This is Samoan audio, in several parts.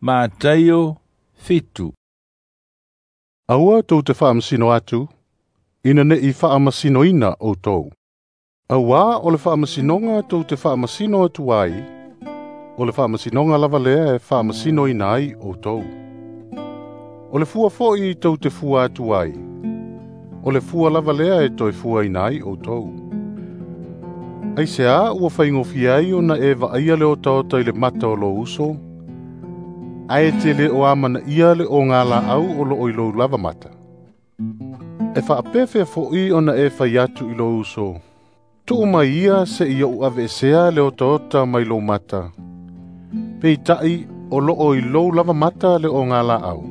Mataio 7. Aua tou te faamasino atu, ina ne'i faamasinoina outou. Auā o le faamasinoga tou te faamasino atu ai, o le faamasinoga lava lea e faamasinoina ai outou. O le fua fo'i tou te fua atu ai, o le fua lava lea e toe fuaina ai outou. Aisea ua faigofie ai ona e vaaia le otaota i le mata o lou uso, ae te le o amanaia le ogalaau o loo i lou lava mata. E faapefea fo'i ona e fai atu i lou uso, tuu mai ia seia ou aveesea le otaota mai lou mata, peitai o loo i lou lava mata le ogalaau.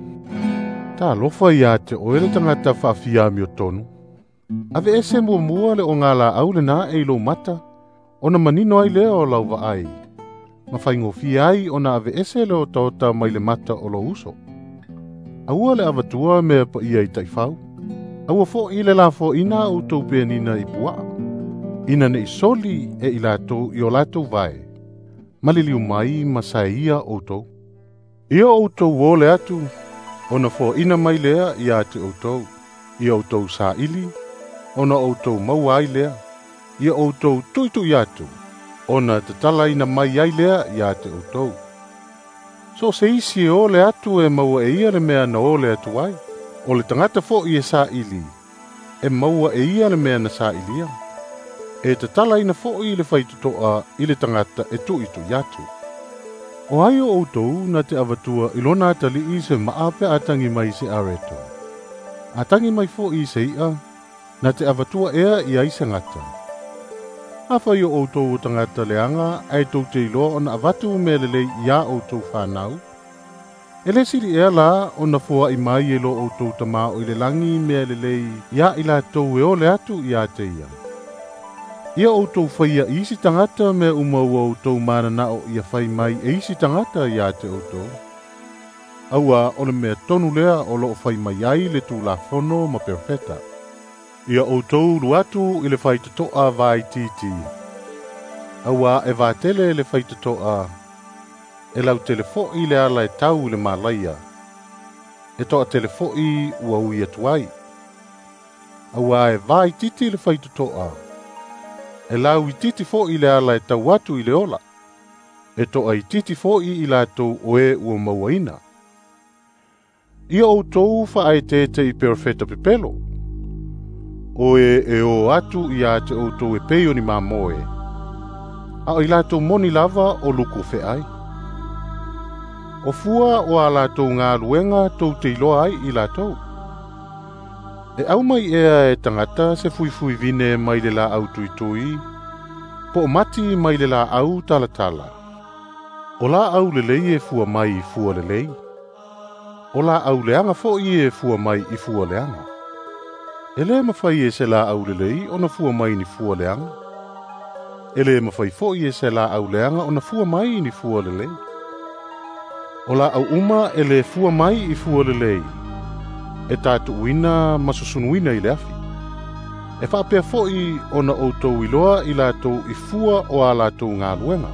Talofa ia te oe le tagata faafia amiotonu. Aveese muamua le ogalaau lena e i lou mata, ona manino ai lea o lau vaai, ma faigofie ai ona aveese le otaota mai le mata o lou uso. Aua le avatua mea paia i taifau. Aua fo'i le lafoaina outou penina i puaa, ina ne'i soli e i latou i o latou vae, maliliu mai ma saeia outou. Ia outou o le atu, ona foaina mai lea ia te outou, ia outou saili, ona outou maua ai lea, ia outou tuitui atu, ona tatalaina mai ai lea ia te outou. So o se isi e o le atu e maua e ia le mea na o le atu ai, o le tagata fo'i e saili, e maua e ia le mea na sailia. E tatalaina fo'i le faitotoa i le tagata e tuitui atu. O ai o outou na te avatua i lona atalii se maa pe a tagi mai se areto. A tagi mai fo'i se i'a, na te avatua ea i ai se gata. Afai o outou o tagata leaga ae tou te iloa ona avatu mea lelei iā outou fanau, e le sili ea la ona foa'i mai e lo outou Tamā o i le lagi mea lelei iā i latou e ole atu ia te ia. Ia outou faia i isi tagata mea uma ua outou mananao ia fai mai e isi tagata ia te outou. Auā o le mea tonu lea o loo fai mai ai le Tulafono ma Perofeta. Ia outou ulu atu i le faitotoa vaitiiti. Auā e vatele le faitotoa, e lautele fo'i le ala e tau i le malaia, e toatele fo'i ua ui atu ai. Auā e vaitiiti le faitotoa, e lauitiiti fo'i le ala e tau atu i le ola, e toaitiiti fo'i i latou o e ua mauaina. Ia outou faaeteete i perofeta pepelo, o e e o atu ia te outou e pei o ni mamoe, a o i latou moni lava o luku feai. O fua o a latou galuega tou te iloa ai i latou. E aumai ea e tagata se fuifui vine mai le laau tuitui, po o mati mai le laau talatala. O laau lelei e fua mai i fua lelei, o laau leaga fo'i e fua mai i fua leaga. E le mafai e se laau lelei ona fua mai ni fua leaga. E le mafai fo'i e se laau leaga ona fua mai ni fua lelei. O laau uma e le fua mai i fua lelei, e tatuuina ma susunuina i le afi. E faapea fo'i ona outou iloa i latou i fua o a latou galuega.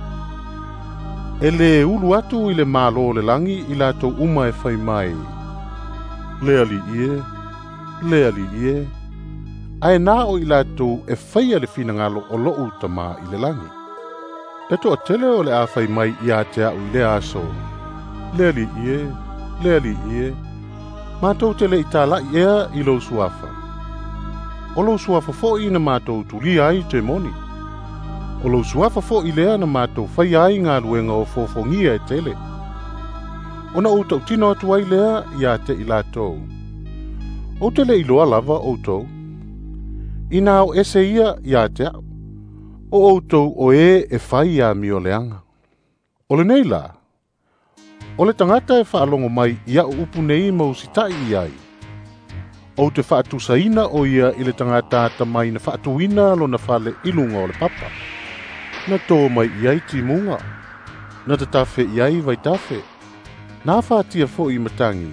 E le ulu atu i le Malo o le lagi i latou uma e fai mai, le Alii e, le Alii e, ae na o i latou e faia le finagalo o lou Tamā i le lagi. E toatele o le a fai mai ia te au i lea aso, le Alii e, le Alii e, matou te le i tala'i ea i lou suafa. O lou suafa fo'i na matou tulia ai temoni. O lou suafa fo'i lea na matou faia ai galuega o fofogia e tele. Ona ou tautino atu ai lea ia te i latou, ou te le iloa lava outou. Ina o ese ia ia te au, o outou o e e fai amio leaga. O lenei la, o le tagata e faalogo mai ia upu nei ma usitai i ai, ou te faatusaina o ia i le tagata atamai na faatuina lona fale i luga o le papa. Na tō mai i ai timuga, na tatafe i ai vaitafe, na afatia fo'i matagi,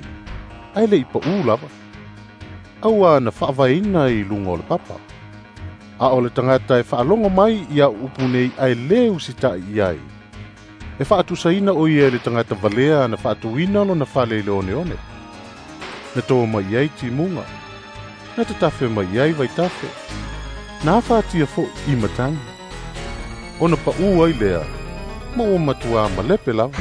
ae le i paū lava. Auā na faavaeina i luga o le papa. A o le tagata e faalogo mai ia upu nei ae le usitai i ai, E faatusaina o ia i le tagata valea na faatuina lona fale i le oneone. Na to mai ai timuga, na tatafe mai ai vaitafe, na afatia fo'i i matagi. Ona pa'u ai lea, ma ua matuā malepe lava.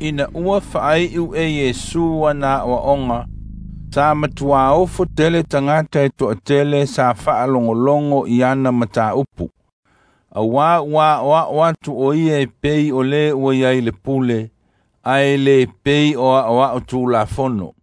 Ina ua faai'u e Iesu ana aʻoaʻoga, sa matuā ofo tele tagata e toʻatele sa faalogologo i ana mataupu, auā ua aʻoaʻo atu o ia e pei o lē ua i ai le pule, ae le pei o aʻoaʻo tulafono.